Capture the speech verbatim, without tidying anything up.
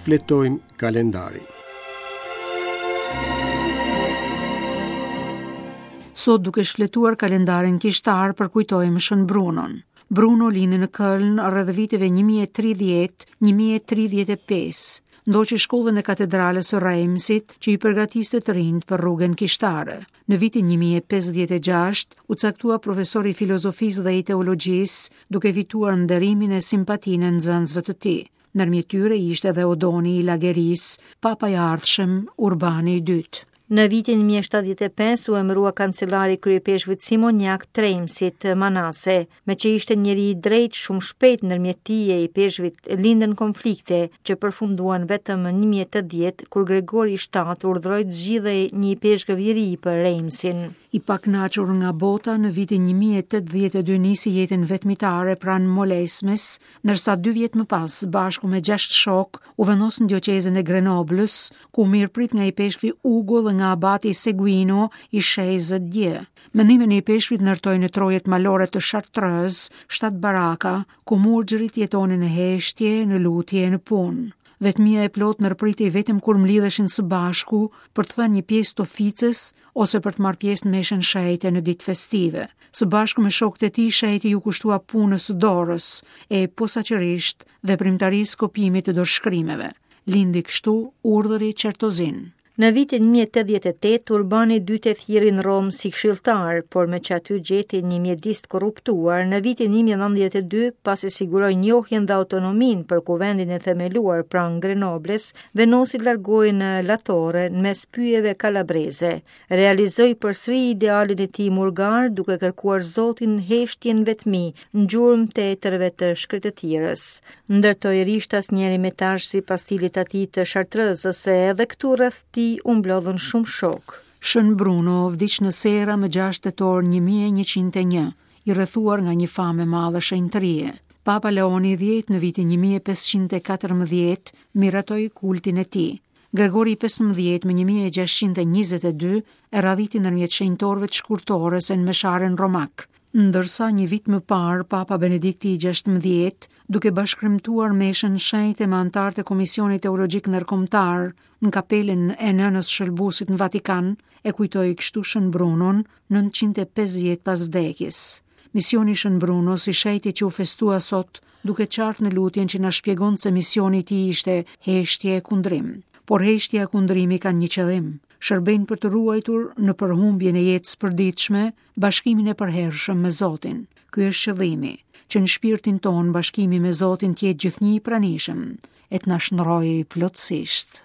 Shfletojmë kalendarin. Sot duke shfletuar kalendarin kishtar përkujtojmë Shën Brunon. Bruno lindi në Köln rreth viteve një mijë e tridhjetë, një mijë e tridhjetë e pesë. Ndoqi shkollën e katedralës së Reimsit, që i përgatiste të rinjt për rrugën kishtare. Në vitin një mijë e pesëdhjetë e gjashtë u caktua profesor i filozofisë dhe i teologjisë, duke fituar nderimin e simpatinë e nxënësve të tij. Ndërmjet tyre ishte edhe Odoni i Lagerisë, papa i ardhshëm Urbani i dytë. Në vitin një mijë e shtatëdhjetë e pesë u emërua kancelari kryepeshkvit Simoniak Treimsit Manase, me që ishte njeri i drejtë, shumë shpejt ndërmjet tij e i peshkvit lindën konflikte që përfunduan vetëm në një mijë e tetëdhjetë kur Gregori i shtatë urdhëroi të zgjidhej një ipeshkëv i ri për Reimsin. I pakënaqur nga bota, në vitin një mijë e tetëdhjetë e dy nisi jetën vetmitare pranë Molesmes, ndërsa dy vjet më pas, bashku me gjashtë shok, u vendos në dioqezën e Grenoblës, ku u mirëprit nga ipeshkvi Ugo dhe nga abati Seguino i Shezët Dje. Me ndihmën e ipeshkvit ndërtoi në trojet malore të Chartreuse shtatë baraka, ku murgjërit jetonin në heshtje, në lutje e në punë. Vetmia e plot ndërpritej vetëm kur mlidheshin së bashku për të thënë një pjesë të oficës ose për të marrë pjesë në meshën shenjte në ditë festive. Së bashku me shokët e tij, shenjti ju kushtua punës së dorës e posaçërisht veprimtarisë kopjimit të dorëshkrimeve. Lindi kështu urdhëri Çertozin. Në vitin një mijë e tetëdhjetë e tetë, Urbani i dytë e thirri në Romë si këshilltar, por me që aty gjeti një mjedis të korruptuar, në vitin një mijë e nëntëdhjetë e dy, pasi siguroi njohjen dhe autonominë për kuvendin e themeluar pranë Grenobles, vendosi të largohej në La Torre, në mes pyjeve kalabreze. Realizoi përsëri idealin e tij murgar, duke kërkuar Zotin heshtjen vetmi, në gjurmë të etërve të shkretëtirës. Ndërtoi rishtas një ermitazh sipas stilit atij të Chartrezës, e edhe këtu rreth tij u mblodhën shumë shok. Shën Bruno vdiq në Sera më gjashtë tetor një mijë e njëqind e një, i rrethuar nga një famë e madhe shenjtërie. Papa Leoni i dhjetë në vitin një mijë e pesëqind e katërmbëdhjetë miratoi kultin e tij. Gregori i pesëmbëdhjetë më një mijë e gjashtëqind e njëzet e dy e radhiti ndërmjet shenjtorëve të shkurtores e në mesharen romak. Ndërsa një vit më parë, Papa Benedikti i gjashtëmbëdhjetë, duke bashkërimtuar meshën shenjte me anëtarët e Komisionit Teologjik Ndërkombëtar në kapelën e Nënës Shëlbusit në Vatikan, e kujtoi kështu Shën Brunon nëntëqind e pesëdhjetë pas vdekjes. Misioni i Shën Brunos, i shenjti që u festua sot, duke qartë në lutjen që na shpjegon se misioni i tij ishte heshtje e kundrim. Por heshtja e kundrimi kanë një qëllim, shërbejnë për të ruajtur në përhumbjen e jetës përditshme bashkimin e përhershëm me Zotin. Ky është qëllimi, që në shpirtin ton bashkimi me Zotin të jetë gjithnjë i pranishëm e të na shndrojë plotësisht.